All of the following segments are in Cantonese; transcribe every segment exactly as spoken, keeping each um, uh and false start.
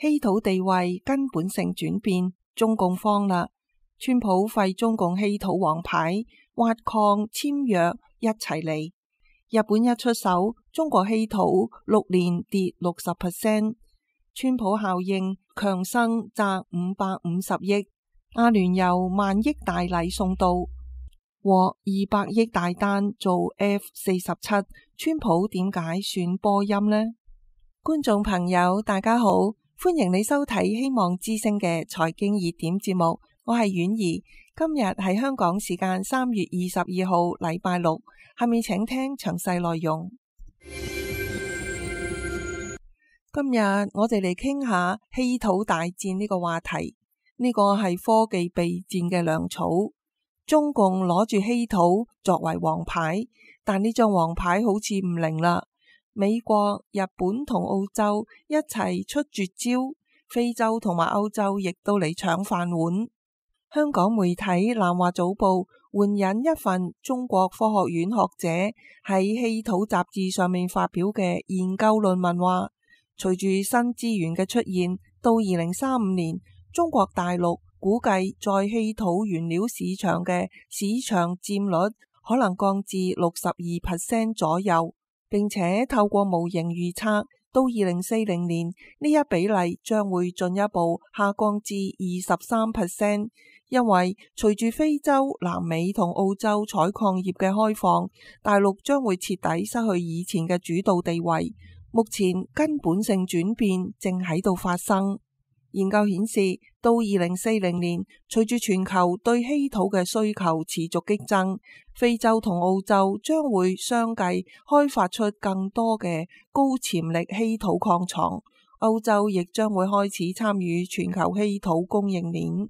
稀土地位根本性轉變，中共慌啦！川普廢中共稀土王牌，挖礦簽約一齊嚟。日本一出手，中國稀土六年跌六十 percent。川普效應，強生賺五百五十億，阿聯酋萬億大禮送到，獲二百億大單做 F 四十七。川普點解選波音呢？觀眾朋友大家好，歡迎你收睇希望之聲嘅財經熱點節目，我係婉兒。今日係香港時間三月二十二號禮拜六，下面請聽詳細內容。今日我哋嚟傾下稀土大戰呢個話題，呢個係科技備戰嘅糧草。中共攞住稀土作為王牌，但呢張王牌好似唔靈啦。美國、日本同澳洲一齊出絕招，非洲同埋歐洲亦都嚟搶飯碗。香港媒體南華早報援引一份中國科學院學者喺稀土雜誌上面發表嘅研究論文話，隨住新資源嘅出現，到二零三五年，中國大陸估計在稀土原料市場嘅市場佔率可能降至六十二 percent 左右。並且透過模型預測，到二零四零年呢一比例將會進一步下降至二十三 percent， 因為隨住非洲、南美同澳洲採礦業嘅開放，大陸將會徹底失去以前嘅主導地位。目前根本性轉變正喺度發生。研究顯示，到二零四零年，隨住全球對稀土嘅需求持續激增，非洲同澳洲將會相繼開發出更多嘅高潛力稀土礦床，歐洲亦將會開始參與全球稀土供應鏈。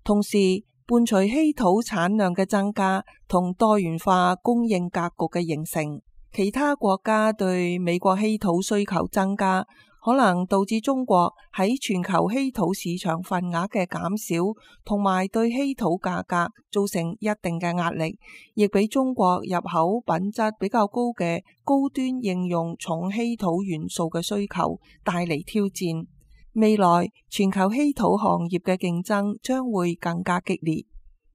同時，伴隨稀土產量嘅增加同多元化供應格局嘅形成，其他國家對美國稀土需求增加，可能導致中國喺全球稀土市場份額嘅減少，同埋對稀土價格造成一定嘅壓力，亦俾中國入口品質比較高嘅高端應用重稀土元素嘅需求帶嚟挑戰。未來全球稀土行業嘅競爭將會更加激烈。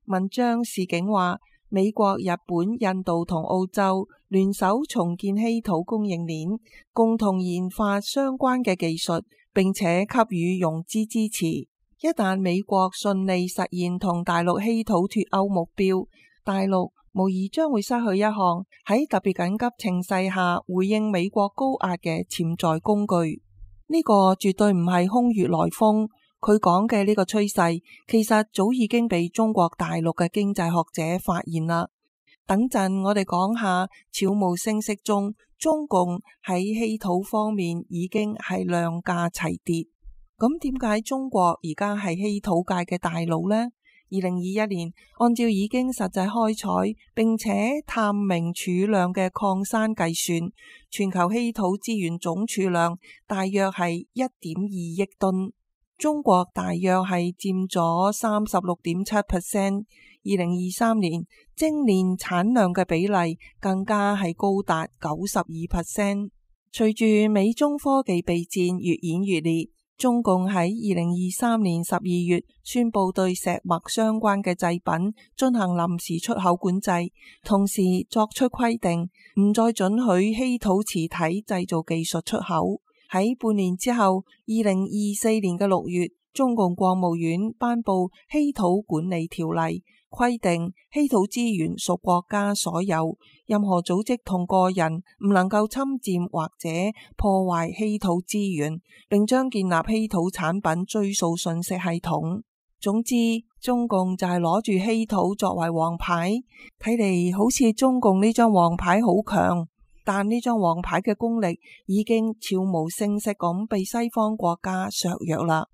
文章示警話，美國、日本、印度同澳洲聯手重建稀土供應鏈，共同研發相關嘅技術，並且給予融資支持。一旦美國順利實現同大陸稀土脫鉤目標，大陸無疑將會失去一項喺特別緊急情勢下回應美國高壓嘅潛在工具。呢個絕對唔係空穴來風。佢講嘅呢個趨勢，其實早已經被中國大陸嘅經濟學者發現啦。等陣我哋講下悄無聲息中，中共喺稀土方面已經係量價齊跌。咁點解中國而家係稀土界嘅大佬呢？二零二一年，按照已經實際開採並且探明儲量嘅礦山計算，全球稀土資源總儲量大約係一點二億噸。中國大約係佔咗三十六點七 percent， 二零二三年精煉產量嘅比例更加係高達九十二 percent。隨住美中科技備戰越演越烈，中共喺二零二三年十二月宣布對石墨相關嘅製品進行臨時出口管制，同時作出規定，唔再准許稀土磁體製造技術出口。喺半年之後，二零二四年嘅六月，中共國務院頒布稀土管理條例，規定稀土資源屬國家所有，任何組織同個人唔能夠侵佔或者破壞稀土資源，並將建立稀土產品追溯信息系統。總之，中共就係攞住稀土作為王牌，睇嚟好似中共呢張王牌好強。但呢張王牌嘅功力已經悄無聲息咁被西方國家削弱啦。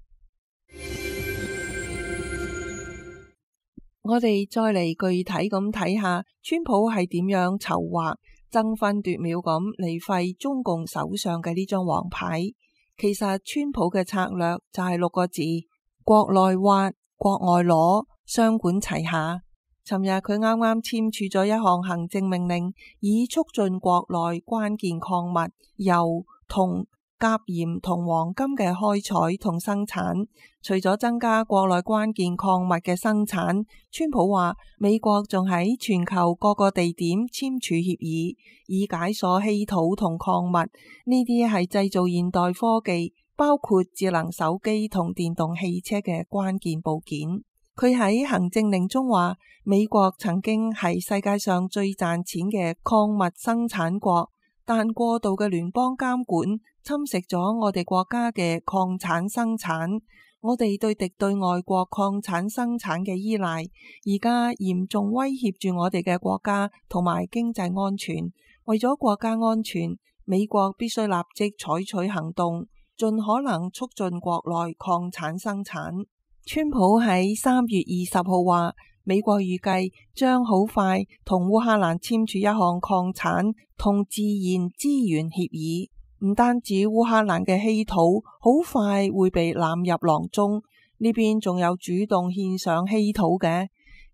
我哋再嚟具體咁睇下，川普係點樣籌劃爭分奪秒咁嚟廢中共手上嘅呢張王牌。其實川普嘅策略就係六個字：國內挖，國外攞，雙管齊下。尋日佢啱啱簽署咗一項行政命令，以促進國內關鍵礦物鈾、銅、鉀鹽同黃金嘅開採同生產。除咗增加國內關鍵礦物嘅生產，川普話美國仲喺全球各個地點簽署協議，以解鎖稀土同礦物。呢啲係製造現代科技，包括智能手機同電動汽車嘅關鍵部件。佢喺行政令中話，美國曾經係世界上最賺錢嘅礦物生產國，但過度嘅聯邦監管侵蝕咗我哋國家嘅礦產生產。我哋對敵對外國礦產生產嘅依賴，而家嚴重威脅住我哋嘅國家同埋經濟安全。為咗國家安全，美國必須立即採取行動，盡可能促進國內礦產生產。川普喺三月二十號話，美國預計將好快同烏克蘭簽署一項礦產同自然資源協議。唔單止烏克蘭嘅稀土好快會被納入囊中，呢邊仲有主動獻上稀土嘅。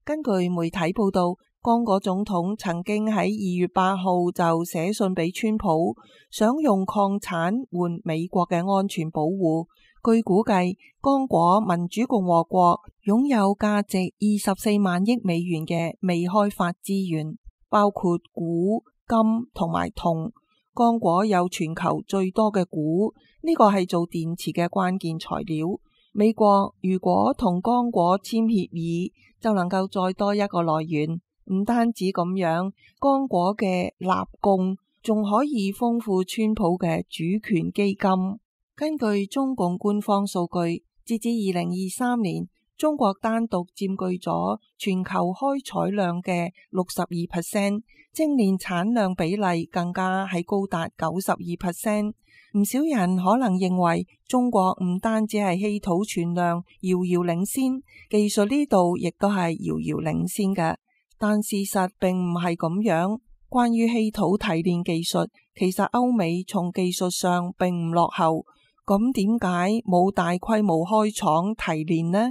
根據媒體報道，剛果總統曾經喺二月八號就寫信俾川普，想用礦產換美國嘅安全保護。據估計，剛果民主共和國擁有價值二十四萬億美元嘅未開發資源，包括鈷、金同埋銅。剛果有全球最多嘅鈷，呢個係做電池嘅關鍵材料。美國如果同剛果簽協議，就能夠再多一個來源。唔單止咁樣，剛果嘅納貢仲可以豐富川普嘅主權基金。根據中共官方數據，截至二零二三年，中國單獨佔據咗全球開採量嘅六十二 percent， 精煉產量比例更加係高達九十二 percent。唔少人可能認為中國唔單止係稀土存量遙遙領先，技術呢度亦都係遙遙領先嘅。但事實並唔係咁樣。關於稀土提煉技術，其實歐美從技術上並唔落後。咁點解冇大規模開廠提煉呢？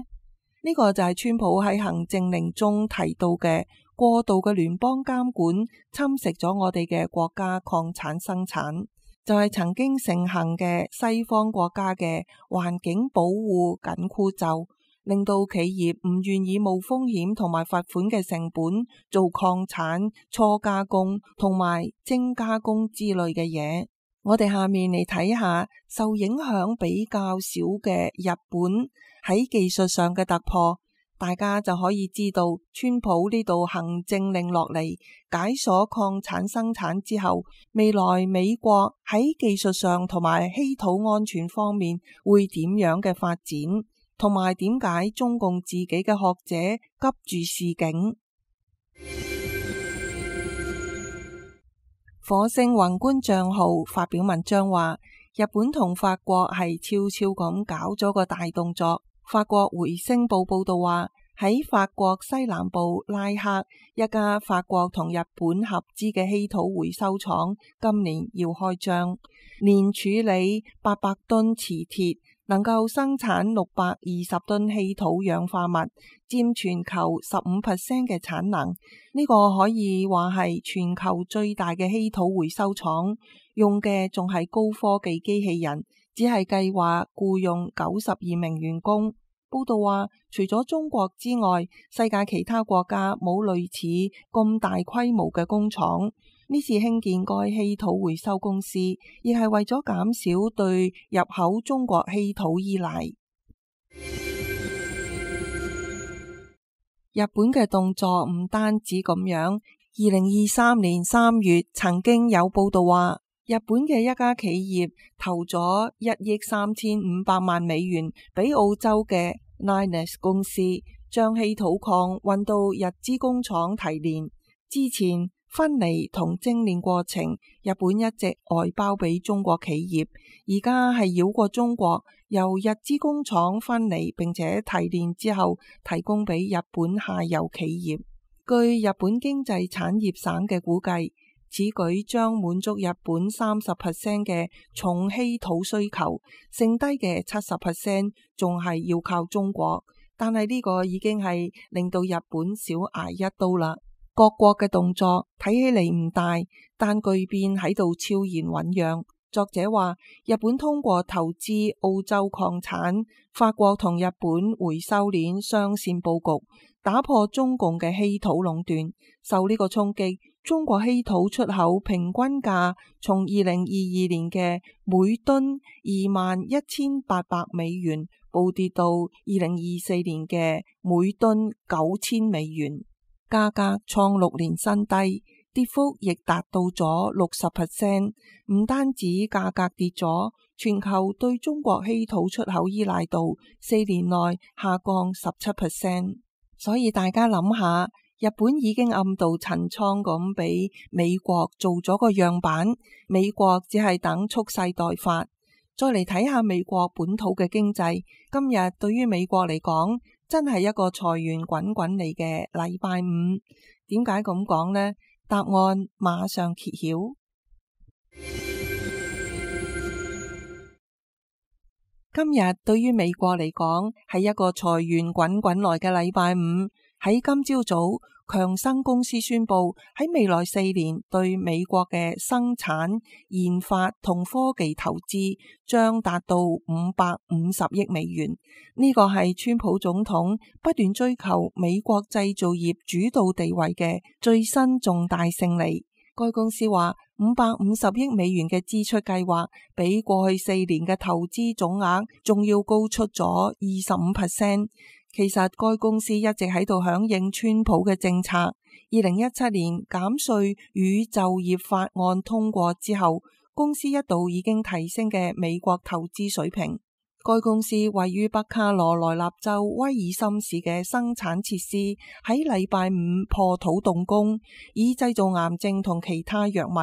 呢個就係川普喺行政令中提到嘅過度嘅聯邦監管侵蝕咗我哋嘅國家礦產生產，就係曾經盛行嘅西方國家嘅環境保護緊箍咒，令到企業唔願意冒風險同埋罰款嘅成本做礦產初加工同埋精加工之類嘅嘢。我哋下面嚟睇下受影響比較少嘅日本喺技術上嘅突破，大家就可以知道川普呢度行政令落嚟解鎖礦產生產之後，未來美國喺技術上同埋稀土安全方面會點樣嘅發展，同埋點解中共自己嘅學者急住示警。火星宏觀賬號發表文章話，日本同法國係悄悄咁搞咗個大動作。法國回聲報報道話，喺法國西南部拉克一家法國同日本合資嘅稀土回收廠今年要開張，年處理八百噸磁鐵，能夠生產六百二十噸稀土氧化物，佔全球十五 percent 嘅產能。呢個可以話係全球最大嘅稀土回收廠，用嘅仲係高科技機器人，只係計劃僱用九十二名員工。報道話，除咗中國之外，世界其他國家冇類似咁大規模嘅工廠。呢次興建該稀土回收公司，亦係為咗減少對入口中國稀土依賴。日本嘅動作唔單止咁樣，二零二三年三月曾經有報道話，日本嘅一家企業投咗一億三千五百萬美元俾澳洲嘅 Lynas 公司，將稀土礦運到日資工廠提煉。之前分離同精煉過程，日本一直外包俾中國企業，而家係繞過中國，由日資工廠分離並且提煉之後，提供俾日本下游企業。據日本經濟產業省嘅估計，此舉將滿足日本三十 percent 嘅重稀土需求，剩低嘅七十 percent 仲係要靠中國。但係呢個已經係令到日本少捱一刀啦。各國嘅動作睇起嚟唔大，但巨變喺度悄然醞釀。作者話，日本通過投資澳洲礦產，法國同日本回收鏈雙線佈局，打破中共嘅稀土壟斷。受呢個衝擊，中國稀土出口平均價從二零二二年嘅每噸二萬一千八百美元暴跌到二零二四年嘅每噸九千美元，價格創六年新低。跌幅亦達到咗六十 percent， 唔單止價格跌咗，全球對中國稀土出口依賴度四年內下降十七 percent。所以大家諗下，日本已經暗度陳倉咁俾美國做咗個樣板，美國只係等蓄勢待發。再嚟睇下美國本土嘅經濟，今日對於美國嚟講，真係一個財源滾滾嚟嘅禮拜五。點解咁講呢？答案馬上揭曉。今日對於美國嚟講係一個財源滾滾來嘅禮拜五。喺今朝早，強生公司宣布喺未來四年對美國嘅生產、研發同科技投資將達到五百五十億美元。呢個係川普總統不斷追求美國製造業主導地位嘅最新重大勝利。該公司話，五百五十億美元嘅支出計劃比過去四年嘅投資總額仲要高出咗二十五 percent。其實該公司一直喺度響應川普嘅政策。二零一七年減稅與就業法案通過之後，公司一度已經提升嘅美國投資水平。該公司位於北卡羅來納州威爾森市嘅生產設施喺禮拜五破土動工，以製造癌症同其他藥物。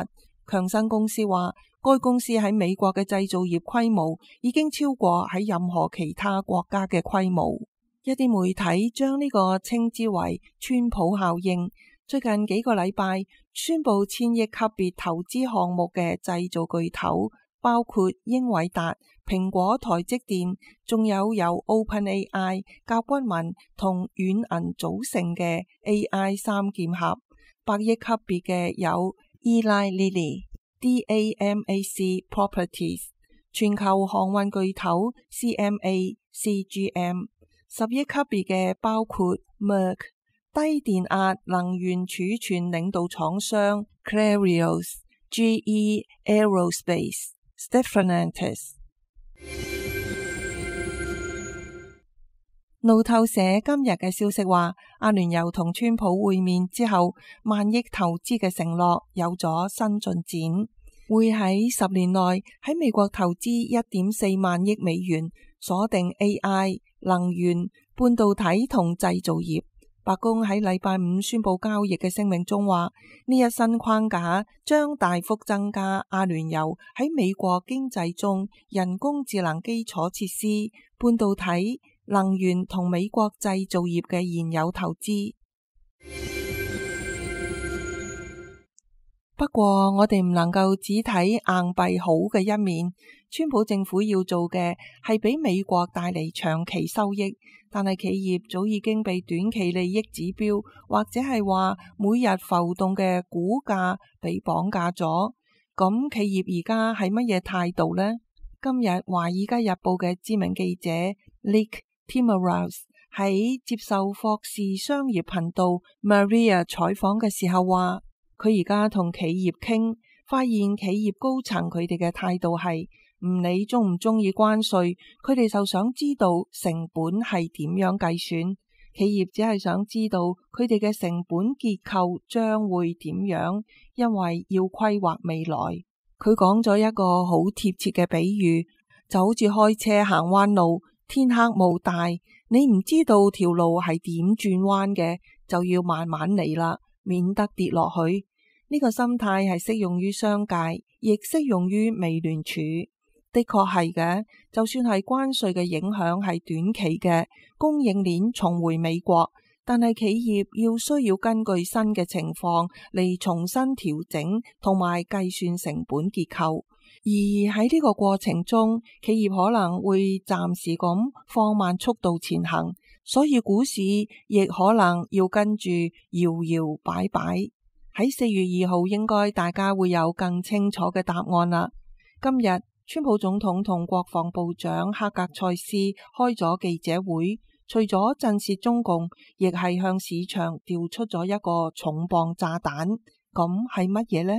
強生公司話，該公司喺美國嘅製造業規模已經超過喺任何其他國家嘅規模。一啲媒體將呢個稱之為川普效應。最近幾個禮拜宣布千億級別投資項目嘅製造巨頭包括英偉達、蘋果、台積電，仲有由 OpenAI、甲骨文同軟銀組成嘅 A I 三劍俠。百億級別嘅有 Eli Lilly、D A M A C Properties、全球航運巨頭 C M A、C G M。十億級別嘅包括 Merck、低電壓能源儲存領導廠商 Clarios、G E Aerospace、Stellantis。路透社今日嘅消息話，阿聯酋同川普會面之後，萬億投資嘅承諾有咗新進展，會喺十年內喺美國投資一點四萬億美元，鎖定 A I、能源、半導體同製造業。白宮喺禮拜五宣布交易嘅聲明中話，呢一新框架將大幅增加阿聯酋喺美國經濟中人工智能基礎設施、半導體、能源同美國製造業嘅現有投資。不過我哋唔能夠只睇硬幣好嘅一面，川普政府要做嘅係俾美國帶嚟長期收益，但係企業早已經被短期利益指標或者係話每日浮動嘅股價被綁架咗。咁企業而家係乜嘢態度呢？今日華爾街日報嘅知名記者 Nick Timiraos 喺接受霍士商業頻道 Maria 採訪嘅時候話，佢而家同企業傾，發現企業高層佢哋嘅態度係唔理中唔中意關稅，佢哋就想知道成本係點樣計算。企業只係想知道佢哋嘅成本結構將會點樣，因為要規劃未來。佢講咗一個好貼切嘅比喻，就好似開車行彎路，天黑霧大，你唔知道條路係點轉彎嘅，就要慢慢嚟啦，免得跌落去。呢個心態係適用於商界，亦適用於美聯儲。的確係嘅，就算係關稅嘅影響係短期嘅，供應鏈重回美國，但係企業要需要根據新嘅情況嚟重新調整同埋計算成本結構。而喺呢個過程中，企業可能會暫時咁放慢速度前行，所以股市亦可能要跟住搖搖擺擺。喺四月二號應該大家會有更清楚嘅答案啦。今日川普總統同國防部長哈格塞斯開咗記者會，除咗震懾中共，亦係向市場調出咗一個重磅炸彈。咁係乜嘢呢？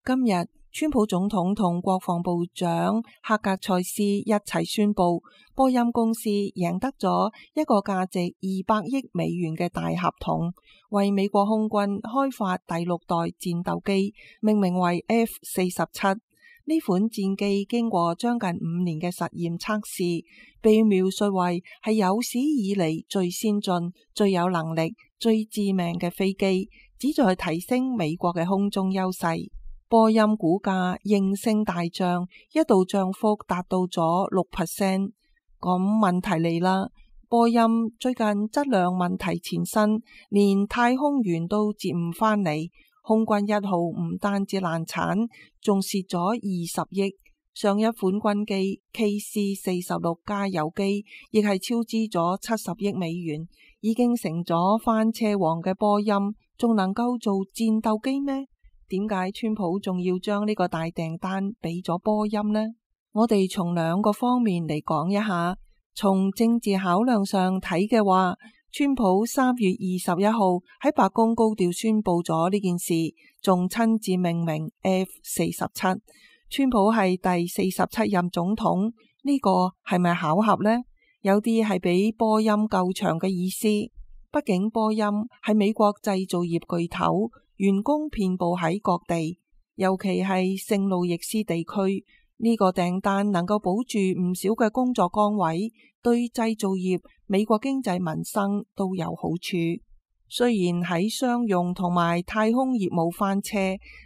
今日川普總統同國防部長哈格塞斯一齊宣布，波音公司贏得咗一個價值二百億美元嘅大合同，為美國空軍開發第六代戰鬥機，命名為 F 四十七。呢款戰機經過將近五年嘅實驗測試，被描述為係有史以嚟最先進、最有能力、最致命嘅飛機，旨在提升美國嘅空中優勢。波音股價應聲大漲，一度漲幅達到咗六 percent。咁問題嚟啦，波音最近質量問題纏身，連太空員都接唔返嚟。空軍一號唔單止難產，仲蝕咗二十億。上一款軍機 K C 四十六加油機亦係超支咗七十億美元，已經成咗翻車王嘅波音，仲能夠做戰鬥機咩？點解川普仲要將呢個大訂單俾咗波音呢？我哋從兩個方面嚟講一下。從政治考量上睇嘅話，川普三月二十一號喺白宮高調宣布咗呢件事，仲親自命名 F 四十七。川普係第四十七任總統，呢個係咪巧合呢？有啲係俾波音救場嘅意思。畢竟波音係美國製造業巨頭，員工遍布喺各地，尤其係聖路易斯地區。呢個訂單能夠保住唔少嘅工作崗位，對製造業、美國經濟民生都有好處。雖然喺商用同埋太空業務翻車，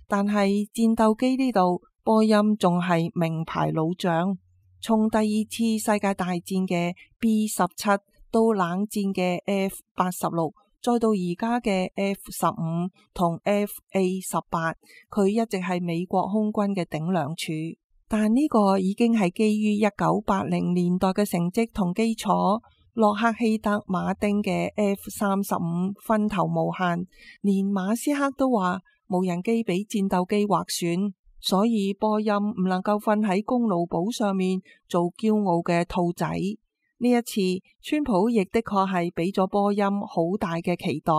但係戰鬥機呢度，波音仲係名牌老將。從第二次世界大戰嘅 B 十七到冷戰嘅 F 八十六，再到而家嘅 F 十五同 F A 十八，佢一直係美國空軍嘅頂梁柱。但呢個已經係基於一九八零年代嘅成績同基礎。洛克希德馬丁嘅 F 三十五分頭無限，連馬斯克都話無人機比戰鬥機劃選，所以波音唔能夠瞓喺功勞簿上面做驕傲嘅兔仔。呢一次川普亦的確係俾咗波音好大嘅期待。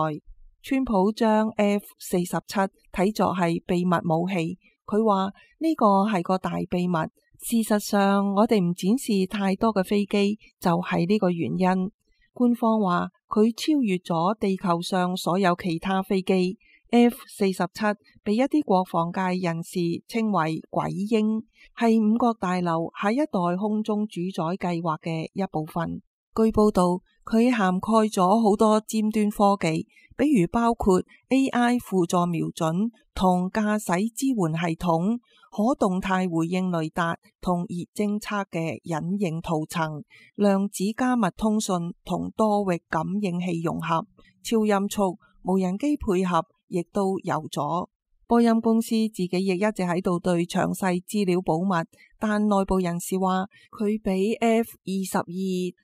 川普將 F 四十七睇作係秘密武器。佢話呢個係個大秘密，事實上我哋唔展示太多嘅飛機就係呢個原因。官方話佢超越咗地球上所有其他飛機。F 四十七被一啲國防界人士稱為鬼鷹，係五角大樓下一代空中主宰計劃嘅一部分。據報道，佢涵蓋咗好多尖端科技，比如包括 A I 輔助瞄準同駕駛支援系統、可動態回應雷達同熱偵測嘅隱形塗層、量子加密通訊同多域感應器融合、超音速、無人機配合，亦都有咗。波音公司自己亦一直喺度對詳細資料保密，但內部人士話佢比 F 二十二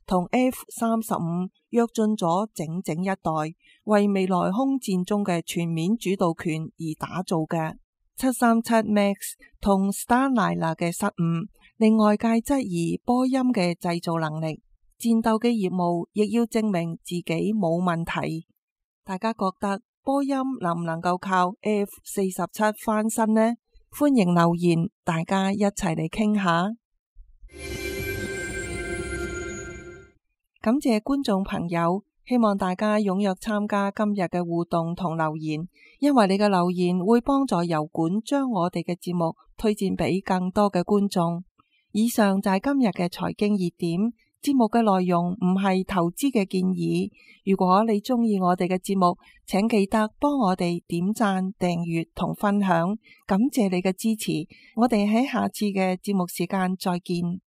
同 F 三十五躍進咗整整一代，為未來空戰中嘅全面主導權而打造嘅。七三七 MAX 同 Starliner 嘅失誤，令外界質疑波音嘅製造能力。戰鬥機業務亦要證明自己冇問題。大家覺得波音能唔能夠靠 F 四十七翻身呢？歡迎留言，大家一齊嚟傾下。感謝觀眾朋友，希望大家踴躍參加今日嘅互動同留言，因為你嘅留言會幫助油管將我哋嘅節目推薦俾更多嘅觀眾。以上就係今日嘅財經熱點。節目嘅內容唔係投資嘅建議。如果你鍾意我哋嘅節目，請記得幫我哋點讚、訂閱同分享，感謝你嘅支持。我哋喺下次嘅節目時間再見。